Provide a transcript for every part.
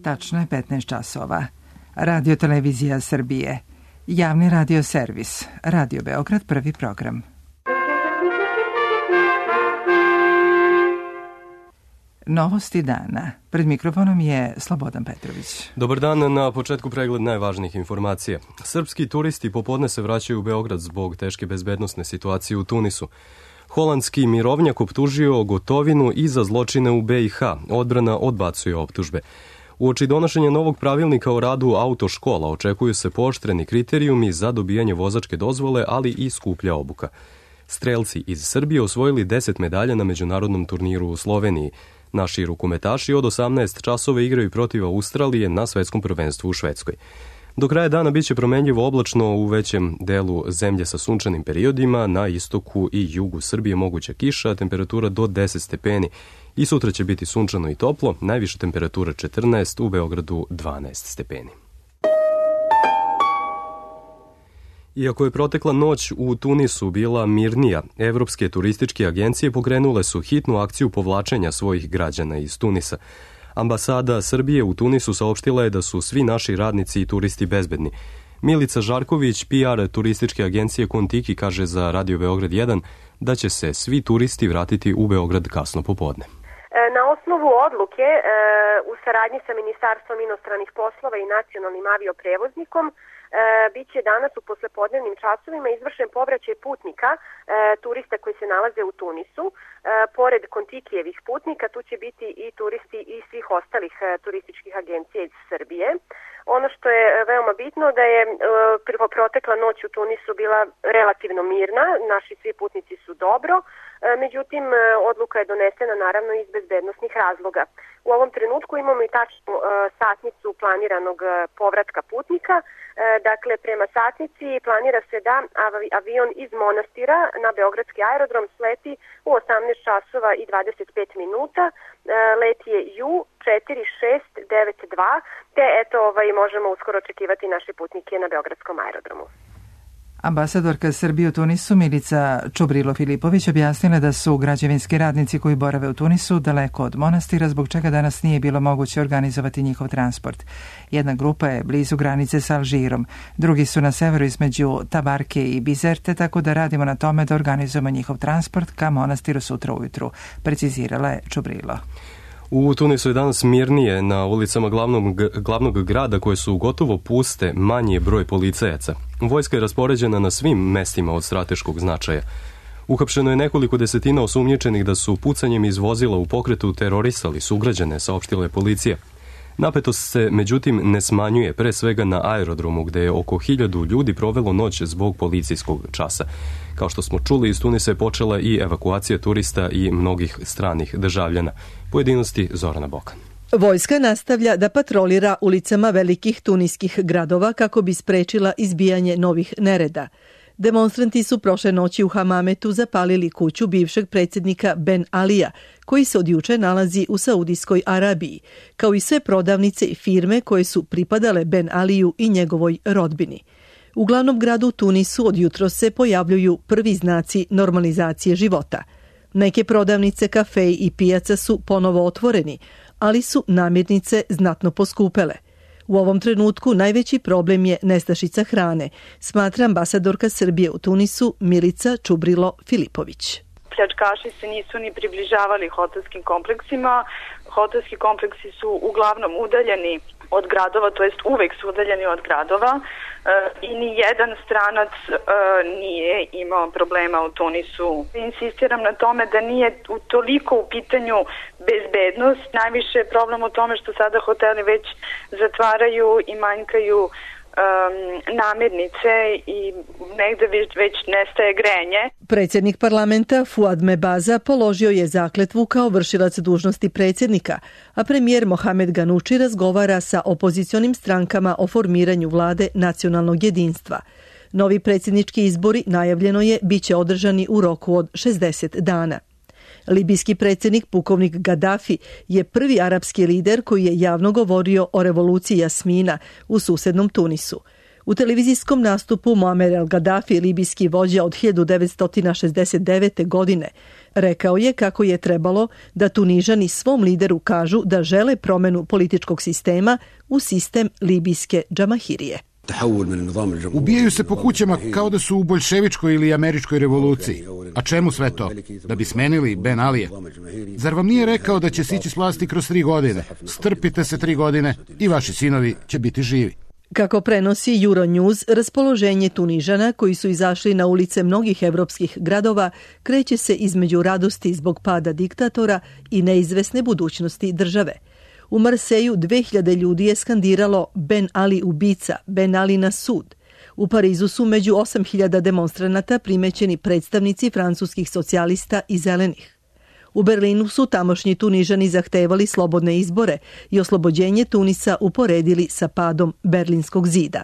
Tačno je 15 časova. Radio Televizija Srbije. Javni radio servis. Radio Beograd, prvi program. Novosti dana. Pred mikrofonom je Slobodan Petrović. Dobar dan, na početku pregled najvažnijih informacija. Srpski turisti popodne se vraćaju u Beograd zbog teške bezbednosne situacije u Tunisu. Holandski mirovnjak optužio Gotovinu i za zločine u BiH. Odbrana odbacuje optužbe. Uoči donošenja novog pravilnika o radu autoškola očekuju se pooštreni kriterijumi za dobijanje vozačke dozvole, ali i skuplja obuka. Strelci iz Srbije osvojili 10 medalja na međunarodnom turniru u Sloveniji. Naši rukometaši od 18 časova igraju protiv Australije na svetskom prvenstvu u Švedskoj. Do kraja dana biće promenljivo oblačno u većem delu zemlje sa sunčanim periodima, na istoku i jugu Srbije moguća kiša, temperatura do 10 stepeni. I sutra će biti sunčano i toplo, najviša temperatura 14, u Beogradu 12 stepeni. Iako je protekla noć u Tunisu bila mirnija, evropske turističke agencije pokrenule su hitnu akciju povlačenja svojih građana iz Tunisa. Ambasada Srbije u Tunisu saopštila je da su svi naši radnici i turisti bezbedni. Milica Žarković, PR turističke agencije Kontiki, kaže za Radio Beograd 1 da će se svi turisti vratiti u Beograd kasno popodne. Na osnovu odluke u saradnji sa Ministarstvom inostranih poslova i nacionalnim avioprevoznikom biće danas u poslepodnevnim časovima izvršen povraćaj putnika, turista koji se nalaze u Tunisu. Pored Kontikijevih putnika tu će biti i turisti iz svih ostalih turističkih agencija iz Srbije. Ono što je veoma bitno da je protekla noć u Tunisu bila relativno mirna, naši svi putnici su dobro, međutim odluka je donesena naravno iz bezbednosnih razloga. U ovom trenutku imamo i tačnu satnicu planiranog povratka putnika. Dakle, prema satnici planira se da avion iz Monastira na Beogradski aerodrom sleti u 18 časova i 25 minuta. Let je U4692, te eto možemo uskoro očekivati naše putnike na Beogradskom aerodromu. Ambasadorka Srbije u Tunisu Milica Čubrilo-Filipović objasnila da su građevinski radnici koji borave u Tunisu daleko od Monastira, zbog čega danas nije bilo moguće organizovati njihov transport. Jedna grupa je blizu granice sa Alžirom, drugi su na severu između Tabarke i Bizerte, tako da radimo na tome da organizujemo njihov transport ka Monastiru sutra ujutru, precizirala je Čubrilo. U Tunisu je danas mirnije, na ulicama glavnog grada koje su gotovo puste, manji je broj policajaca. Vojska je raspoređena na svim mestima od strateškog značaja. Uhapšeno je nekoliko desetina osumnjičenih da su pucanjem iz vozila u pokretu terorisali sugrađane, saopštila je policija. Napetost se, međutim, ne smanjuje, pre svega na aerodromu, gde je oko 1000 ljudi provelo noć zbog policijskog časa. Kao što smo čuli, iz Tunisa je počela i evakuacija turista i mnogih stranih državljana. Pojedinosti Zorana Bokan. Vojska nastavlja da patrolira ulicama velikih tuniskih gradova kako bi sprečila izbijanje novih nereda. Demonstranti su prošle noći u Hamametu zapalili kuću bivšeg predsjednika Ben Alija, koji se od juče nalazi u Saudijskoj Arabiji, kao i sve prodavnice i firme koje su pripadale Ben Aliju i njegovoj rodbini. U glavnom gradu Tunisu od jutros se pojavljuju prvi znaci normalizacije života. Neke prodavnice, kafeji i pijaca su ponovo otvoreni, ali su namirnice znatno poskupele. U ovom trenutku najveći problem je nestašica hrane, smatra ambasadorka Srbije u Tunisu Milica Čubrilo-Filipović. Pljačkaši se nisu ni približavali hotelskim kompleksima. Hotelski kompleksi su uglavnom udaljeni od gradova, to jest uvek su udaljeni od gradova i ni jedan stranac nije imao problema u Tunisu. Insistiram na tome da nije toliko u pitanju bezbednost. Najviše je problem u tome što sada hoteli već zatvaraju i manjkaju namirnice i negde već nestaje grejanje. Predsjednik parlamenta Fuad Mebaza položio je zakletvu kao vršilac dužnosti predsjednika, a premijer Mohamed Ganuči razgovara sa opozicionim strankama o formiranju vlade nacionalnog jedinstva. Novi predsjednički izbori, najavljeno je, biće održani u roku od 60 dana. Libijski predsjednik pukovnik Gaddafi je prvi arapski lider koji je javno govorio o revoluciji Jasmina u susednom Tunisu. U televizijskom nastupu Muamer el-Gaddafi, libijski vođa od 1969. godine, rekao je kako je trebalo da Tunižani svom lideru kažu da žele promenu političkog sistema u sistem libijske džamahirije. Ubijaju se po kućama kao da su u boljševičkoj ili američkoj revoluciji. A čemu sve to? Da bi smenili Ben Alija? Zar vam nije rekao da će sići s vlasti kroz 3 godine? Strpite se 3 godine i vaši sinovi će biti živi. Kako prenosi Euronews, raspoloženje Tunižana koji su izašli na ulice mnogih evropskih gradova kreće se između radosti zbog pada diktatora i neizvesne budućnosti države. U Marseju 2000 ljudi je skandiralo Ben Ali ubica, Ben Ali na sud. U Parizu su među 8000 demonstranata primećeni predstavnici francuskih socijalista i zelenih. U Berlinu su tamošnji Tunižani zahtevali slobodne izbore i oslobođenje Tunisa uporedili sa padom Berlinskog zida.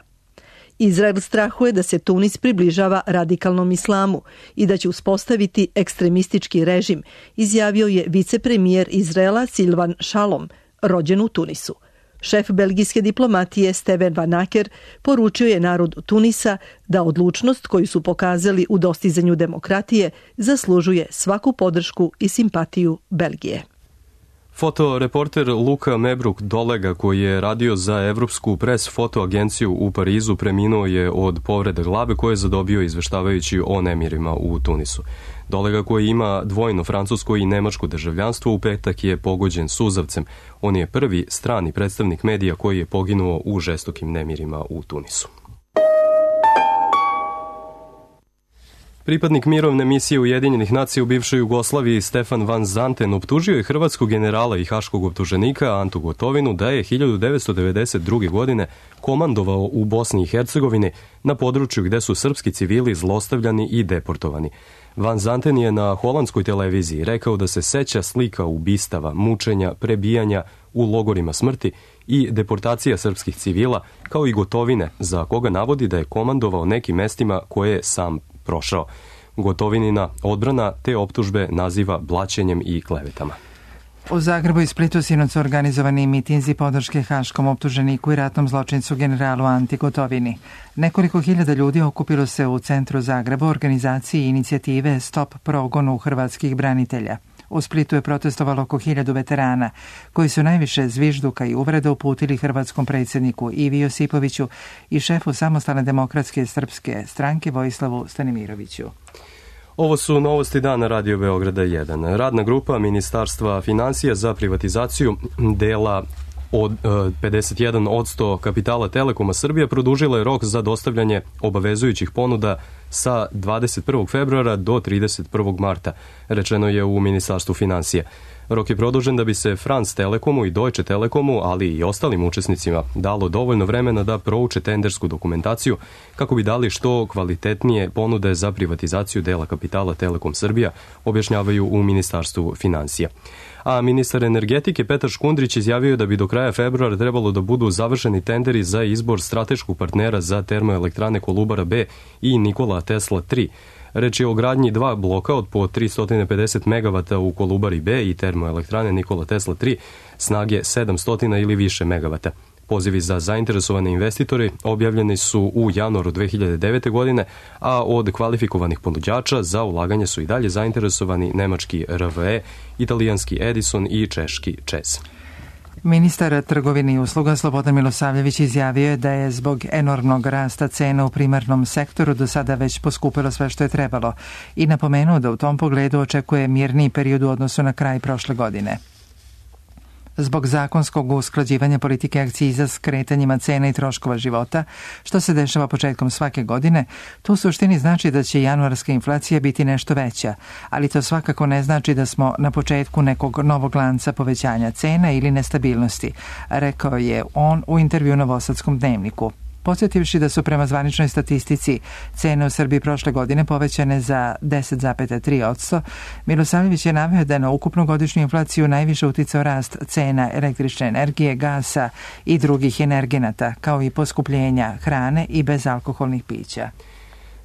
Izrael strahuje da se Tunis približava radikalnom islamu i da će uspostaviti ekstremistički režim, izjavio je vicepremijer Izraela Silvan Shalom, rođen u Tunisu. Šef belgijske diplomatije Steven Van Acker poručio je narodu Tunisa da odlučnost koju su pokazali u dostizanju demokratije zaslužuje svaku podršku i simpatiju Belgije. Fotoreporter Luka Mebruk Dolega, koji je radio za Evropsku pres fotoagenciju u Parizu, preminuo je od povrede glave koje je zadobio izveštavajući o nemirima u Tunisu. Dolega, koji ima dvojno francusko i nemačko državljanstvo, u petak je pogođen suzavcem. On je prvi strani predstavnik medija koji je poginuo u žestokim nemirima u Tunisu. Pripadnik mirovne misije Ujedinjenih nacija u bivšoj Jugoslaviji Stefan Van Zanten optužio je hrvatskog generala i haškog optuženika Antu Gotovinu da je 1992. godine komandovao u Bosni i Hercegovini na području gde su srpski civili zlostavljani i deportovani. Van Zanten je na holandskoj televiziji rekao da se seća slika ubistava, mučenja, prebijanja u logorima smrti i deportacija srpskih civila, kao i Gotovine, za koga navodi da je komandovao nekim mestima koje je sam prošao. Gotovinina odbrana te optužbe naziva blaćenjem i klevetama. U Zagrebu i Splitu sinoć su organizovani mitinzi podrške haškom optuženiku i ratnom zločincu generalu Anti Gotovini. Nekoliko hiljada ljudi okupilo se u centru Zagreba u organizaciji inicijative Stop progonu hrvatskih branitelja. U Splitu je protestovalo oko 1000 veterana, koji su najviše zvižduka i uvreda uputili hrvatskom predsjedniku Ivi Josipoviću i šefu Samostalne demokratske srpske stranke Vojislavu Stanimiroviću. Ovo su novosti dana Radio Beograda 1. Radna grupa Ministarstva finansija za privatizaciju dela od 51% kapitala Telekoma Srbija produžila je rok za dostavljanje obavezujućih ponuda sa 21. februara do 31. marta, rečeno je u Ministarstvu finansija. Rok je produžen da bi se France Telekomu i Deutsche Telekomu, ali i ostalim učesnicima, dalo dovoljno vremena da prouče tendersku dokumentaciju kako bi dali što kvalitetnije ponude za privatizaciju dela kapitala Telekom Srbija, objašnjavaju u Ministarstvu finansija. A ministar energetike Petar Škundrić izjavio da bi do kraja februara trebalo da budu završeni tenderi za izbor strateškog partnera za termoelektrane Kolubara B i Nikola Tesla 3. Reč je o gradnji 2 bloka od po 350 MW u Kolubari B i termoelektrane Nikola Tesla 3 snage 700 ili više megavata. Pozivi za zainteresovane investitore objavljeni su u januaru 2009. godine, a od kvalifikovanih ponuđača za ulaganje su i dalje zainteresovani nemački RWE, italijanski Edison i češki ČEZ. Ministar trgovine i usluga Slobodan Milosavljević izjavio je da je zbog enormnog rasta cena u primarnom sektoru do sada već poskupilo sve što je trebalo i napomenuo da u tom pogledu očekuje mirniji period u odnosu na kraj prošle godine. Zbog zakonskog usklađivanja politike akciza s kretanjima cena i troškova života, što se dešava početkom svake godine, to u suštini znači da će januarska inflacija biti nešto veća, ali to svakako ne znači da smo na početku nekog novog lanca povećanja cena ili nestabilnosti, rekao je on u intervju Novosadskom dnevniku. Podsjetivši da su prema zvaničnoj statistici cene u Srbiji prošle godine povećane za 10,3%, Milosavljević je naveo da na ukupnu godišnju inflaciju najviše uticao rast cena električne energije, gasa i drugih energenata, kao i poskupljenja hrane i bezalkoholnih pića.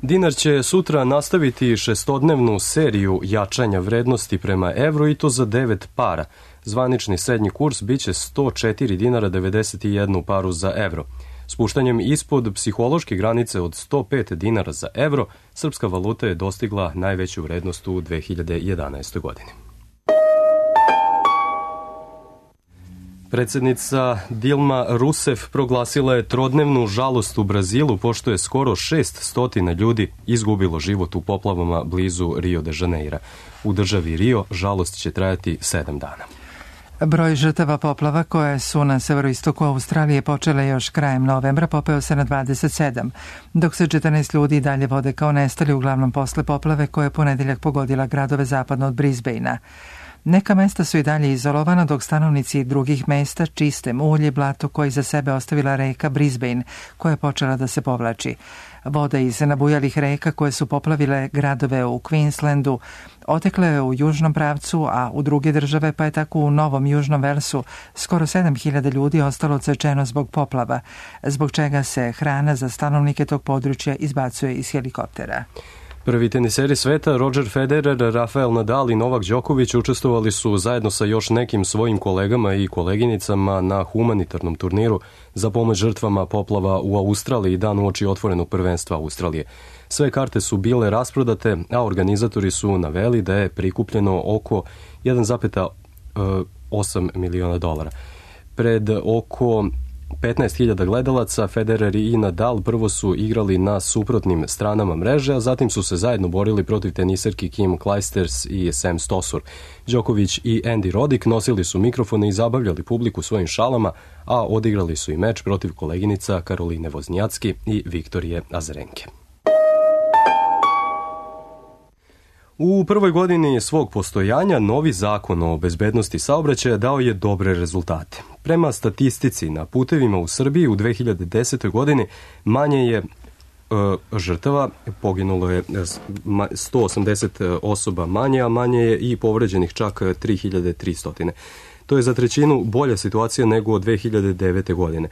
Dinar će sutra nastaviti šestodnevnu seriju jačanja vrednosti prema evru i to za 9 para. Zvanični srednji kurs biće 104 dinara 91 paru za evro. Spuštanjem ispod psihološke granice od 105 dinara za evro, srpska valuta je dostigla najveću vrednost u 2011. godini. Predsjednica Dilma Rousseff proglasila je trodnevnu žalost u Brazilu, pošto je skoro 600 ljudi izgubilo život u poplavama blizu Rio de Janeira. U državi Rio žalost će trajati 7 dana. Broj žrtava poplava koje su na severoistoku Australije počele još krajem novembra popeo se na 27, dok se 14 ljudi dalje vode kao nestali, uglavnom posle poplave koje je ponedeljak pogodila gradove zapadno od Brisbanea. Neka mesta su i dalje izolovana, dok stanovnici drugih mesta čiste mulje i blato koje za sebe ostavila reka Brisbane, koja je počela da se povlači. Voda iz nabujalih reka koje su poplavile gradove u Queenslandu otekle je u južnom pravcu, a u druge države, pa je tako u Novom Južnom Velsu skoro 7000 ljudi ostalo odsečeno zbog poplava, zbog čega se hrana za stanovnike tog područja izbacuje iz helikoptera. Prvi teniseri sveta Roger Federer, Rafael Nadal i Novak Đoković učestvovali su zajedno sa još nekim svojim kolegama i koleginicama na humanitarnom turniru za pomoć žrtvama poplava u Australiji dan uoči otvorenog prvenstva Australije. Sve karte su bile rasprodate, a organizatori su naveli da je prikupljeno oko 1,8 miliona dolara. Pred oko 15.000 gledalaca, Federer i Nadal prvo su igrali na suprotnim stranama mreže, a zatim su se zajedno borili protiv teniserki Kim Clijsters i Sam Stosur. Đoković i Andy Roddick nosili su mikrofone i zabavljali publiku svojim šalama, a odigrali su i meč protiv koleginica Karoline Voznjacki i Viktorije Azarenke. U prvoj godini svog postojanja novi zakon o bezbednosti saobraćaja dao je dobre rezultate. Prema statistici na putevima u Srbiji u 2010. godini manje je žrtava, poginulo je 180 osoba manje, a manje je i povređenih čak 3300. To je za trećinu bolja situacija nego od 2009. godine.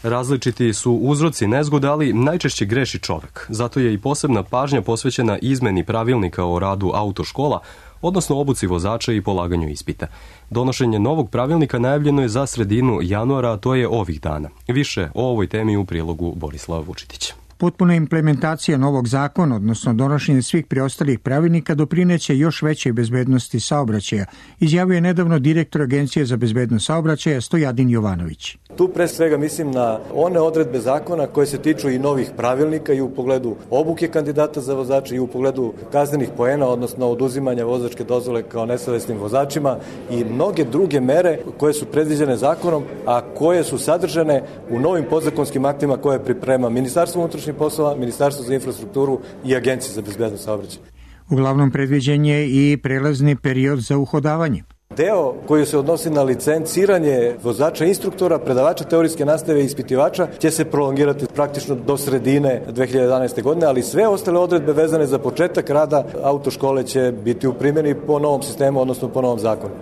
Različiti su uzroci nezgoda, ali najčešće greši čovek. Zato je i posebna pažnja posvećena izmeni pravilnika o radu autoškola, odnosno obuci vozača i polaganju ispita. Donošenje novog pravilnika najavljeno je za sredinu januara, a to je ovih dana. Više o ovoj temi u prilogu Borislava Vučitića. Potpuna implementacija novog zakona, odnosno donošenje svih preostalih pravilnika, doprineće još većoj bezbednosti saobraćaja, izjavio je nedavno direktor Agencije za bezbednost saobraćaja Stojadin Jovanović. Tu pre svega mislim na one odredbe zakona koje se tiču i novih pravilnika i u pogledu obuke kandidata za vozače i u pogledu kaznenih poena, odnosno oduzimanja vozačke dozvole kao nesavesnim vozačima i mnoge druge mere koje su predviđene zakonom, a koje su sadržane u novim podzakonskim aktima koje priprema Ministarstvo unutrašnjih poslova, Ministarstvo za infrastrukturu i Agencija za bezbednost saobraćaja. Uglavnom predviđen je i prelazni period za uhodavanje. Deo koji se odnosi na licenciranje vozača, instruktora, predavača teorijske nastave i ispitivača će se prolongirati praktično do sredine 2011. godine, ali sve ostale odredbe vezane za početak rada autoškole će biti u primjeni po novom sistemu, odnosno po novom zakonu.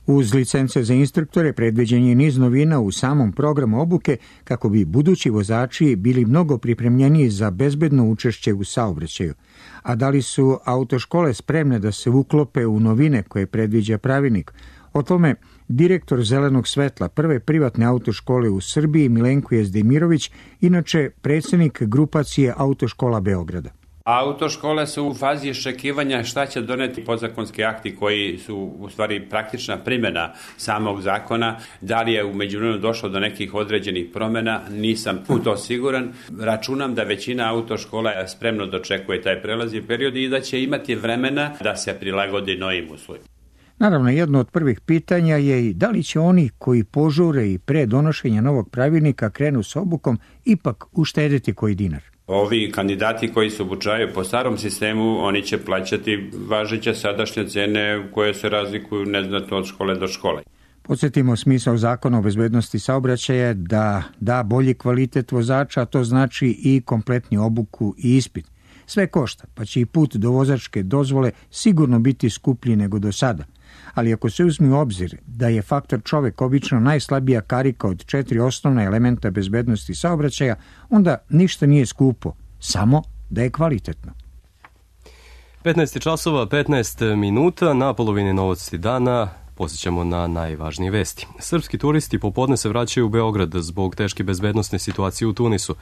Uz licence za instruktore predviđen je niz novina u samom programu obuke kako bi budući vozači bili mnogo pripremljeniji za bezbedno učešće u saobraćaju. A da li su autoškole spremne da se uklope u novine koje predviđa pravilnik? O tome direktor Zelenog svetla, prve privatne autoškole u Srbiji, Milenko Jezdemirović, inače predsjednik grupacije Autoškola Beograda. Autoškole su u fazi iščekivanja šta će doneti podzakonski akti koji su u stvari praktična primjena samog zakona. Da li je u međuvremenu došlo do nekih određenih promjena, nisam u to siguran. Računam da većina autoškola spremno dočekuje taj prelazni period i da će imati vremena da se prilagodi novim uslovima. Naravno, jedno od prvih pitanja je i da li će oni koji požure i pre donošenja novog pravilnika krenu s obukom ipak uštediti koji dinar. Ovi kandidati koji se obučavaju po starom sistemu, oni će plaćati važeće sadašnje cene koje se razlikuju neznatno od škole do škole. Podsjetimo, smisao zakona o bezbednosti saobraćaja da bolji kvalitet vozača, a to znači i kompletnu obuku i ispit. Sve košta, pa će i put do vozačke dozvole sigurno biti skuplji nego do sada. Ali ako se uzme u obzir da je faktor čovek obično najslabija karika od 4 osnovna elementa bezbednosti saobraćaja, onda ništa nije skupo, samo da je kvalitetno. 15 časova, 15 minuta, na polovini novosti dana, Posjećamo na najvažnije vesti. Srpski turisti popodne se vraćaju u Beograd zbog teške bezbednosne situacije u Tunisu.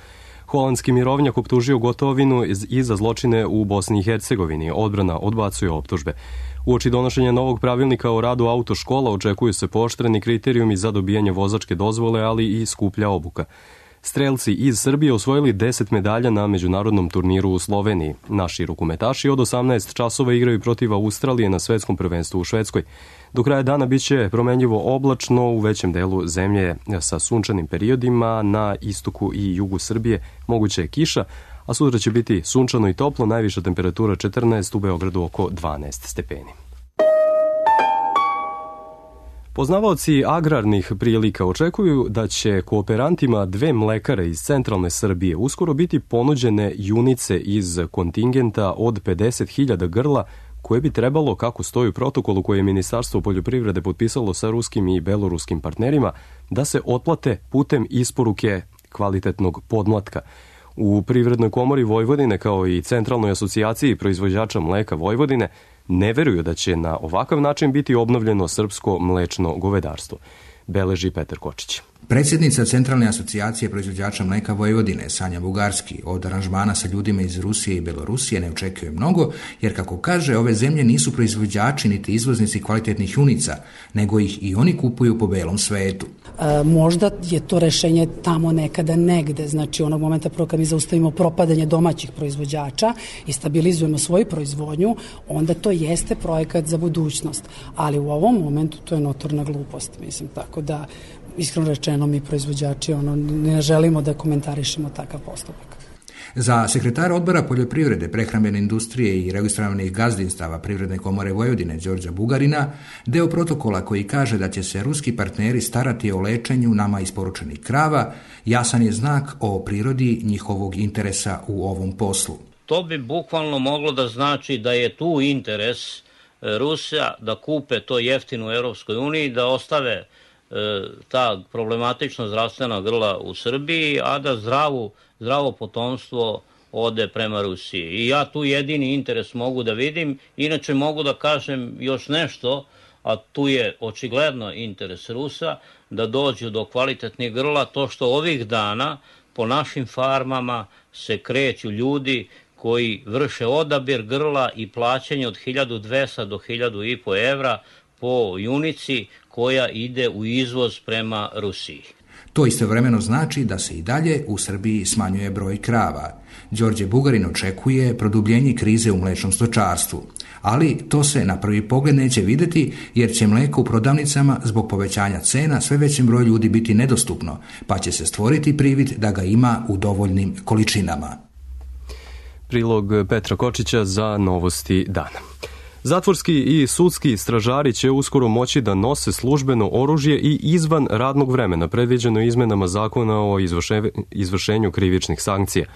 Holandski mirovnjak optužio Gotovinu i za zločine u Bosni i Hercegovini. Odbrana odbacuje optužbe. Uoči donošenja novog pravilnika o radu autoškola očekuju se pooštreni kriterijumi za dobijanje vozačke dozvole, ali i skuplja obuka. Strelci iz Srbije osvojili 10 medalja na međunarodnom turniru u Sloveniji. Naši rukometaši od 18 časova igraju protiv Australije na svetskom prvenstvu u Švedskoj. Do kraja dana biće promenljivo oblačno u većem delu zemlje sa sunčanim periodima, na istoku i jugu Srbije moguće je kiša, a sutra će biti sunčano i toplo, najviša temperatura 14, u Beogradu oko 12 stepeni. Poznavaoci agrarnih prilika očekuju da će kooperantima 2 mlekare iz centralne Srbije uskoro biti ponuđene junice iz kontingenta od 50.000 grla koje bi trebalo, kako stoji u protokolu koje je Ministarstvo poljoprivrede potpisalo sa ruskim i beloruskim partnerima, da se otplate putem isporuke kvalitetnog podmlatka. U Privrednoj komori Vojvodine, kao i Centralnoj asocijaciji proizvođača mleka Vojvodine, ne veruju da će na ovakav način biti obnovljeno srpsko mlečno govedarstvo, beleži Petar Kočić. Predsjednica Centralne asocijacije proizvođača mleka Vojvodine, Sanja Bugarski, od aranžmana sa ljudima iz Rusije i Belorusije ne očekuje mnogo, jer kako kaže, ove zemlje nisu proizvođači niti izvoznici kvalitetnih junica, nego ih i oni kupuju po belom svetu. Možda je to rešenje tamo nekada negde, znači onog momenta prvo kad mi zaustavimo propadanje domaćih proizvođača i stabilizujemo svoju proizvodnju, onda to jeste projekat za budućnost, ali u ovom momentu to je notorna glupost, mislim, tako da iskreno rečeno mi proizvođači ne želimo da komentarišemo takav postupak. Za sekretara odbora poljoprivrede, prehrambene industrije i registrovanih gazdinstava Privredne komore Vojvodine Đorđa Bugarina, deo protokola koji kaže da će se ruski partneri starati o lečenju nama isporučenih krava, jasan je znak o prirodi njihovog interesa u ovom poslu. To bi bukvalno moglo da znači da je tu interes Rusa da kupe to jeftino u Europskoj uniji, da ostave ta problematična zdravstvena grla u Srbiji, a da zdravo potomstvo ode prema Rusiji. I ja tu jedini interes mogu da vidim. Inače mogu da kažem još nešto, a tu je očigledno interes Rusa da dođu do kvalitetnih grla, to što ovih dana po našim farmama se kreću ljudi koji vrše odabir grla i plaćanje od 1200 do 1500 evra po junici koja ide u izvoz prema Rusiji. To istovremeno znači da se i dalje u Srbiji smanjuje broj krava. Đorđe Bugarin očekuje produbljenje krize u mlečnom stočarstvu, ali to se na prvi pogled neće vidjeti jer će mleko u prodavnicama zbog povećanja cena sve većem broju ljudi biti nedostupno, pa će se stvoriti privid da ga ima u dovoljnim količinama. Prilog Petra Kočića za Novosti dana. Zatvorski i sudski stražari će uskoro moći da nose službeno oružje i izvan radnog vremena, predviđeno izmenama zakona o izvršenju krivičnih sankcija.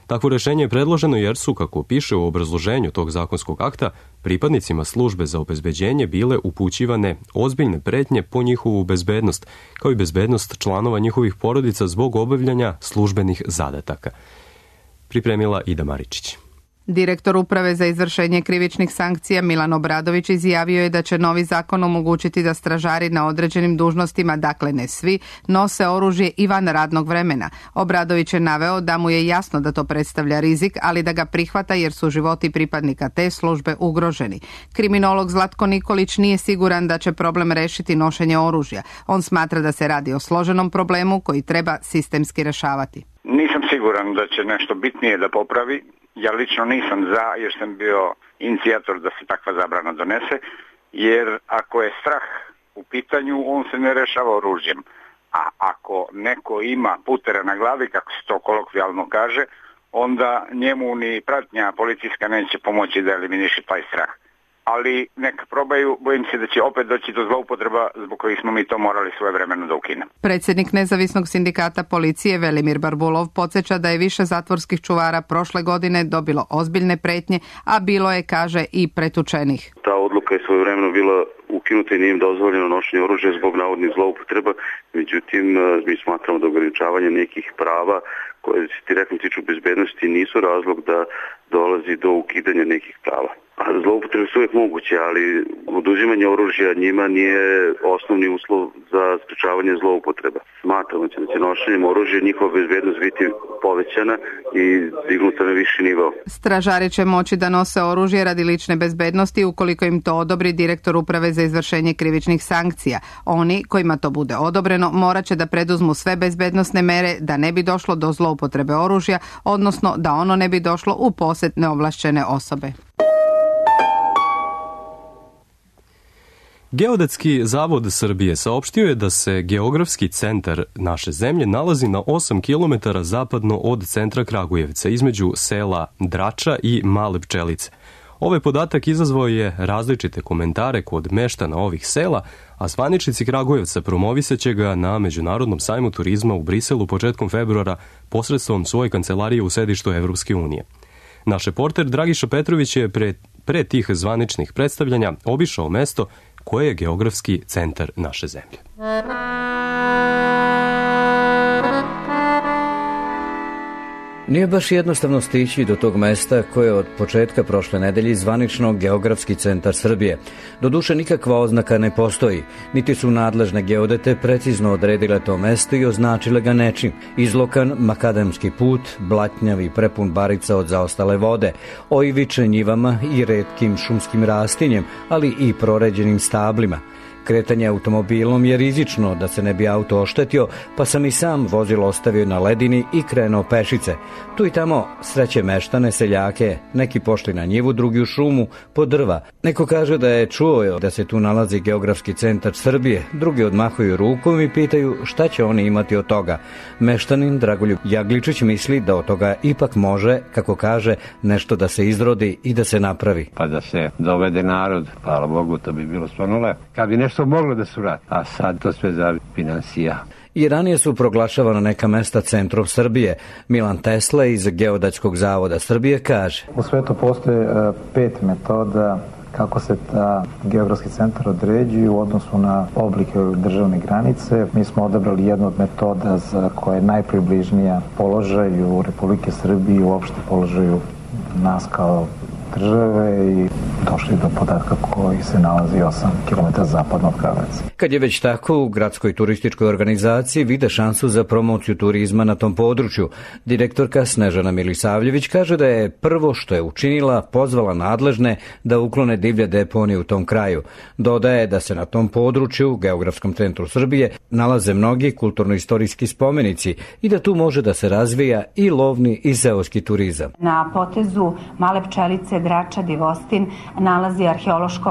Takvo rešenje je predloženo jer su, kako piše u obrazloženju tog zakonskog akta, pripadnicima službe za obezbeđenje bile upućivane ozbiljne pretnje po njihovu bezbednost, kao i bezbednost članova njihovih porodica zbog obavljanja službenih zadataka. Pripremila Ida Maričić. Direktor Uprave za izvršenje krivičnih sankcija Milan Obradović izjavio je da će novi zakon omogućiti da stražari na određenim dužnostima, dakle ne svi, nose oružje i van radnog vremena. Obradović je naveo da mu je jasno da to predstavlja rizik, ali da ga prihvata jer su životi pripadnika te službe ugroženi. Kriminolog Zlatko Nikolić nije siguran da će problem rešiti nošenje oružja. On smatra da se radi o složenom problemu koji treba sistemski rešavati. Nisam siguran da će nešto bitnije da popravi. Ja lično nisam za, jer sam bio inicijator da se takva zabrana donese, jer ako je strah u pitanju, on se ne rešava oružjem. A ako neko ima putera na glavi, kako se to kolokvijalno kaže, onda njemu ni pratnja policijska neće pomoći da eliminiše taj strah. Ali neka probaju, bojim se da će opet doći do zloupotreba zbog kojih smo mi to morali svojevremeno da ukinemo. Predsjednik Nezavisnog sindikata policije Velimir Barbulov podsjeća da je više zatvorskih čuvara prošle godine dobilo ozbiljne pretnje, a bilo je, kaže, i pretučenih. Ta odluka je svojevremeno bila ukinuta i nije im dozvoljeno nošenje oružja zbog navodnih zloupotreba, međutim mi smatramo da ograničavanje nekih prava koje se direktno tiču bezbednosti nisu razlog da dolazi do ukidanja nekih prava. A zloupotrebe su uvijek moguće, ali oduzimanje oružja njima nije osnovni uslov za sprečavanje zloupotreba. Smatramo da će nošenjem oružja njihova bezbednost biti povećana i dignuta na viši nivo. Stražari će moći da nose oružje radi lične bezbednosti ukoliko im to odobri direktor Uprave za izvršenje krivičnih sankcija. Oni kojima to bude odobreno morat će da preduzmu sve bezbednosne mere da ne bi došlo do zloupotrebe oružja, odnosno da ono ne bi došlo u posed neovlašćene osobe. Geodetski zavod Srbije saopštio je da se geografski centar naše zemlje nalazi na 8 km zapadno od centra Kragujevca, između sela Drača i Male Pčelice. Ovaj podatak izazvao je različite komentare kod meštana ovih sela, a zvaničnici Kragujevca promovisaće ga na Međunarodnom sajmu turizma u Briselu početkom februara posredstvom svoje kancelarije u sedištu Evropske unije. Naš reporter Dragiša Petrović je pre tih zvaničnih predstavljanja obišao mesto koje je geografski centar naše zemlje. Nije baš jednostavno stići do tog mesta koje je od početka prošle nedelje zvanično geografski centar Srbije. Doduše nikakva oznaka ne postoji, niti su nadležne geodete precizno odredile to mesto i označile ga nečim. Izlokan makadamski put, blatnjav i prepun barica od zaostale vode, oivičen njivama i retkim šumskim rastinjem, ali i proređenim stablima. Kretanje automobilom je rizično da se ne bi auto oštetio, pa sam i sam vozilo ostavio na ledini i krenuo pešice. Tu i tamo sreće meštane, seljake, neki pošli na njivu, drugi u šumu, po drva. Neko kaže da je čuo da se tu nalazi geografski centar Srbije, drugi odmahuju rukom i pitaju šta će oni imati od toga. Meštanin Dragoljub Jagličić misli da od toga ipak može, kako kaže, nešto da se izrodi i da se napravi. Pa da se dovede narod, hvala Bogu, to bi bilo stvarno lepo. Kad bi nešto moglo da se uradi, a sad to sve za finansija. I ranije su proglašavana neka mesta centrom Srbije. Milan Tesla iz Geodetskog zavoda Srbije kaže: U svetu postoje 5 metoda kako se ta geografski centar određuje u odnosu na oblike državne granice. Mi smo odabrali jednu od metoda za koja je najpribližnija položaju Republike Srbije i uopšte položaju nas kao države i došli do podatka koji se nalazi 8 km zapadno od Kragujevca. Kad je već tako, u gradskoj turističkoj organizaciji vide šansu za promociju turizma na tom području. Direktorka Snežana Milisavljević kaže da je prvo što je učinila pozvala nadležne da uklone divlje deponije u tom kraju. Dodaje da se na tom području, geografskom centru Srbije, nalaze mnogi kulturno-istorijski spomenici i da tu može da se razvija i lovni i seoski turizam. Na potezu Male Pčelice, Drača, Divostin nalazi arheološko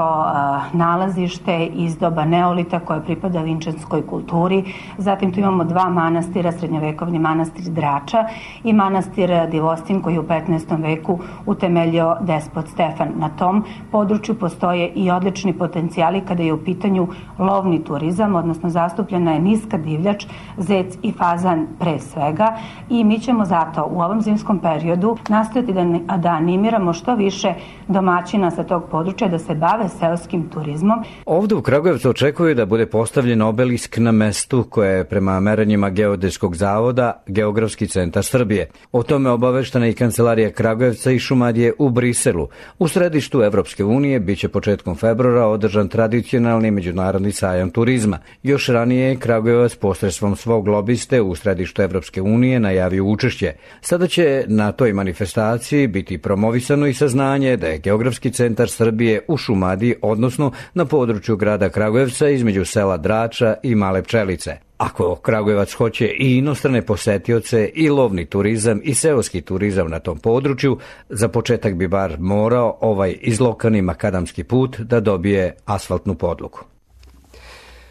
nalazište iz doba neolita koje pripada vinčanskoj kulturi. Zatim tu imamo 2 manastira, srednjovekovni manastir Drača i manastir Divostin koji je u 15. veku utemeljio despot Stefan. Na tom području postoje i odlični potencijali kada je u pitanju lovni turizam, odnosno zastupljena je niska divljač, zec i fazan pre svega i mi ćemo zato u ovom zimskom periodu nastojati da animiramo što više domaćina sa tog područja da se bave seoskim turizmom. Ovde u Kragujevcu očekuju da bude postavljen obelisk na mestu koje je prema merenjima Geodetskog zavoda geografski centar Srbije. O tome obaveštena i kancelarija Kragujevca i Šumadije u Briselu. U središtu Evropske unije biće početkom februara održan tradicionalni međunarodni sajam turizma. Još ranije je Kragujevac posredstvom svog lobiste u središtu Evropske unije najavio učešće. Sada će na toj manifestaciji biti promovisano i saznanje da je geografski centar Srbije u Šumadiji, odnosno na području grada Kragujevca između sela Drača i Male Pčelice. Ako Kragujevac hoće i inostrane posetioce i lovni turizam i seoski turizam na tom području, za početak bi bar morao ovaj izlokani makadamski put da dobije asfaltnu podlogu.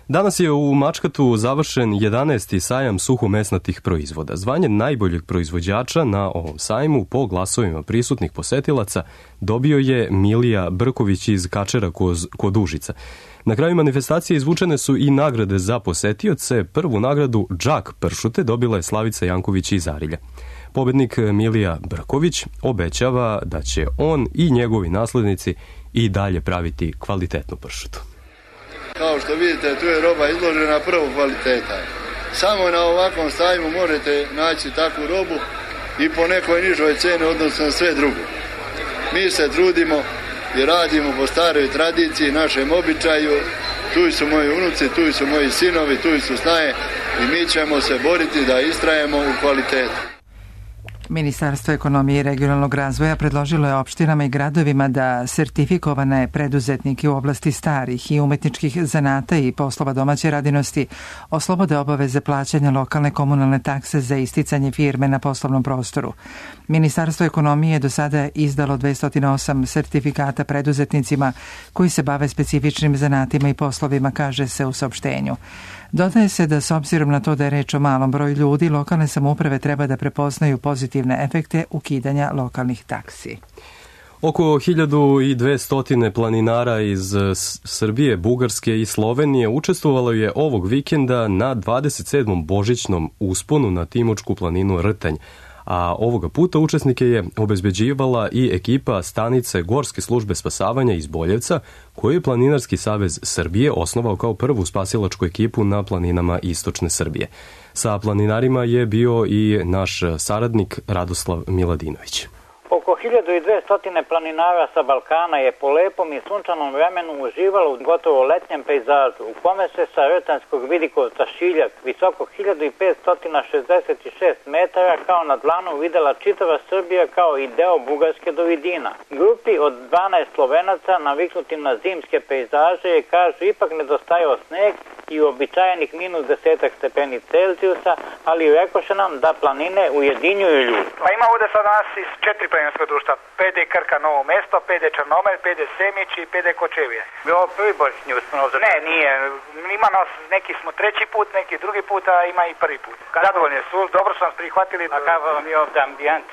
Danas je u Mačkatu završen 11. sajam suhomesnatih proizvoda. Zvanje najboljeg proizvođača na ovom sajmu po glasovima prisutnih posetilaca dobio je Milija Brković iz Kačera kod Užica. Na kraju manifestacije izvučene su i nagrade za posetioce. Prvu nagradu Džak pršute dobila je Slavica Janković iz Arilja. Pobednik Milija Brković obećava da će on i njegovi naslednici i dalje praviti kvalitetnu pršutu. Kao što vidite, tu je roba izložena prvog kvaliteta. Samo na ovakvom sajmu možete naći takvu robu i po nekoj nižoj ceni odnosno na sve drugo. Mi se trudimo i radimo po staroj tradiciji, našem običaju. Tu su moji unuci, tu su moji sinovi, tu su snaje i mi ćemo se boriti da istrajemo u kvalitetu. Ministarstvo ekonomije i regionalnog razvoja predložilo je opštinama i gradovima da sertifikovane preduzetnike u oblasti starih i umetničkih zanata i poslova domaće radinosti oslobode obaveze plaćanja lokalne komunalne takse za isticanje firme na poslovnom prostoru. Ministarstvo ekonomije je do sada izdalo 208 sertifikata preduzetnicima koji se bave specifičnim zanatima i poslovima, kaže se u saopštenju. Dodaje se da s obzirom na to da je reč o malom broju ljudi, lokalne samouprave treba da prepoznaju pozitivne efekte ukidanja lokalnih taksi. Oko 1200 planinara iz Srbije, Bugarske i Slovenije učestvovalo je ovog vikenda na 27. božićnom usponu na Timočku planinu Rtanj, a ovoga puta učesnike je obezbeđivala i ekipa stanice Gorske službe spasavanja iz Boljevca, koju je Planinarski savez Srbije osnovao kao prvu spasilačku ekipu na planinama istočne Srbije. Sa planinarima je bio i naš saradnik Radoslav Miladinović. Oko 1200 planinara sa Balkana je po lepom i sunčanom vremenu uživalo u gotovo letnjem pejzažu, u kome se sa Rtanjskog vidikovca Šiljak, visoko 1566 metara, kao na dlanu videla čitava Srbija kao i deo Bugarske do Vidina. Grupi od 12 Slovenaca, naviknuti na zimske pejzaže, je, kažu, ipak nedostajao sneg i uobičajenih minus 10 stepeni Celzijusa, ali rekoše nam da planine ujedinjuju ljudi. Pa ima ovde sad nas iz 4 planinarska društva, PD Krka Novo mesto, PD Črnomelj, PD Semić i PD Kočevije. Bilo prvi božićni uspon ovdje? Ne, nije. Ima nas, neki smo treći put, neki drugi put, a ima i prvi put. Zadovoljni su, dobro su nas prihvatili. A kako vam je ovdje ambijent?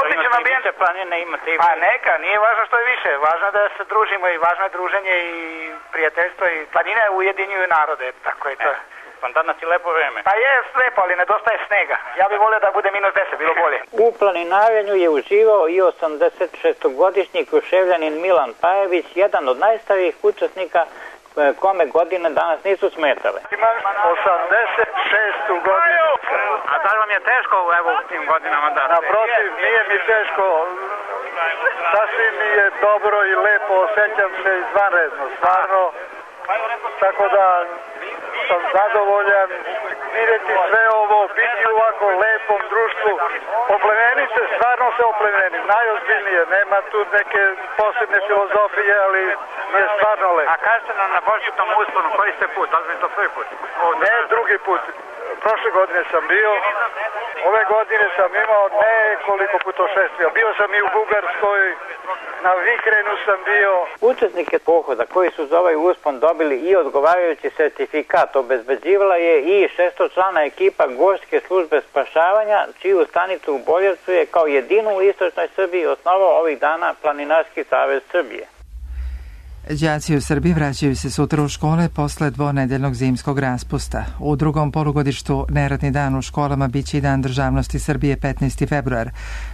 Odličan ambijent. Planine imate i... Pa neka, nije važno što je više. Važno je da se družimo i važno je druženje i prijateljstvo i planine ujedinjuju narode. Tako je to. Pa danas je lepo vreme. Pa je lepo, ali nedostaje snega. Ja bih volio da bude minus 10, bilo bolje. U planinarenju je uživao i 86-godišnji Kruševljanin Milan Pajević, jedan od najstarijih učesnika kome godine danas nisu smetale. Imam 86. godinu. A da vam je teško evo u tim godinama da... Naprotiv, nije mi teško. Sasvim mi je dobro i lepo, osjećam se izvanredno, stvarno. Tako da sam zadovoljan vidjeti sve ovo, biti u ovako lepom društvu. Oplemeniti se, stvarno se oplemenim, najozbiljnije, nema tu neke posebne filozofije, ali je stvarno lepo. A kažete nam na božićnom usponu, koji ste put, da li je to prvi put? Ne, drugi put. Prošle godine sam bio, ove godine sam imao nekoliko putošestvija. Bio sam i u Bugarskoj, na Vikrenu sam bio. Učesnike pohoda koji su za ovaj uspon dobili i odgovarajući sertifikat obezbeđivala je i 600-člana ekipa Gorske službe spašavanja, čiju stanicu u Boljevcu je kao jedinu u istočnoj Srbiji osnovao ovih dana Planinarski savez Srbije. Đaci u Srbiji vraćaju se sutra u škole posle dvonedeljnog zimskog raspusta. U drugom polugodištu neradni dan u školama biće i Dan državnosti Srbije 15. februar,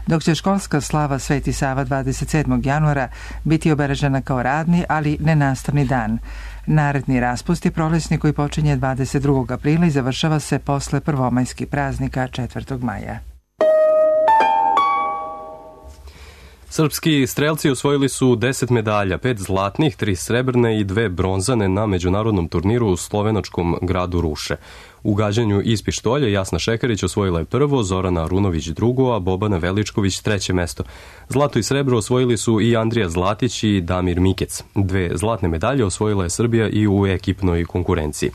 dok će školska slava Sveti Sava 27. januara biti obeležena kao radni, ali nenastavni dan. Naredni raspust je prolećni koji počinje 22. aprila i završava se posle prvomajskih praznika 4. maja. Srpski strelci osvojili su 10 medalja, 5 zlatnih, 3 srebrne i 2 bronzane na međunarodnom turniru u slovenačkom gradu Ruše. U gađanju iz pištolja Jasna Šekarić osvojila je prvo, Zorana Arunović drugo, a Bobana Veličković treće mesto. Zlato i srebro osvojili su i Andrija Zlatić i Damir Mikec. 2 zlatne medalje osvojila je Srbija i u ekipnoj konkurenciji.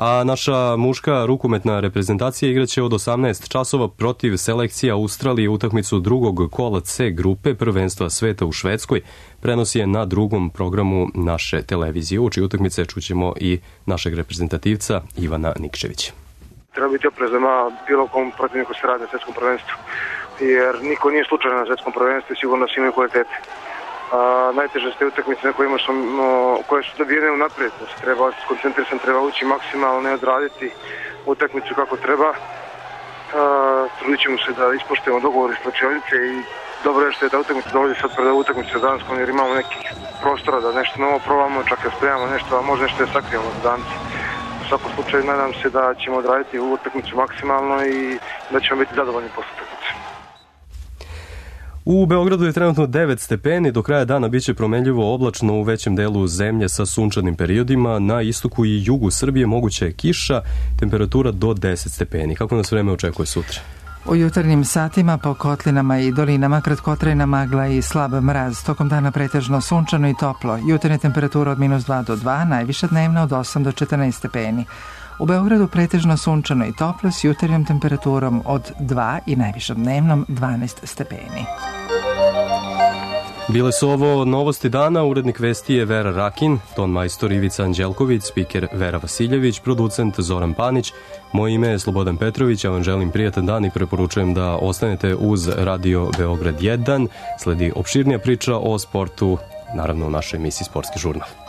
A naša muška rukometna reprezentacija igraće od 18 časova protiv selekcije Australije utakmicu drugog kola C grupe prvenstva sveta u Švedskoj. Prenosi je na drugom programu naše televizije. Uči utakmice čućemo i našeg reprezentativca Ivana Nikčevića. Treba biti oprezan bilo kom protivniku se radi na svetskom prvenstvu, jer niko nije slučajan na svetskom prvenstvu i sigurno svi imaju kvalitete. Najteže ste utakmice na kojima koje su dobijene unaprijed, da se treba skoncentrisan, treba ući maksimalno i odraditi utakmicu kako treba. Trudit ćemo se da ispoštujemo dogovor iz slačionice i dobro je što je da utakmica dolazi sad pred utakmicu danskom, jer imamo nekih prostora da nešto novo probamo, čak da spremamo nešto, a možda nešto je sakrijemo za danci. U svakom slučaju nadam se da ćemo odraditi utakmicu maksimalno i da ćemo biti zadovoljni posle utakmice. U Beogradu je trenutno 9 stepeni, do kraja dana biće promenljivo oblačno u većem delu zemlje sa sunčanim periodima, na istoku i jugu Srbije moguća je kiša, temperatura do 10 stepeni. Kako nas vreme očekuje sutra? U jutarnjim satima po kotlinama i dolinama kratkotrajna magla i slab mraz, tokom dana pretežno sunčano i toplo, jutarnja temperatura od -2 do 2, najviša dnevna od 8 do 14 stepeni. U Beogradu pretežno sunčano i toplo s jutarnjom temperaturom od 2 i najvišom dnevnom 12 stepeni. Bile su ovo novosti dana, urednik vesti je Vera Rakin, ton majstor Ivica Anđelković, spiker Vera Vasiljević, producent Zoran Panić. Moje ime je Slobodan Petrović, ja vam želim prijatan dan i preporučujem da ostanete uz Radio Beograd 1. Sledi opširnija priča o sportu, naravno u našoj emisiji Sportski žurnal.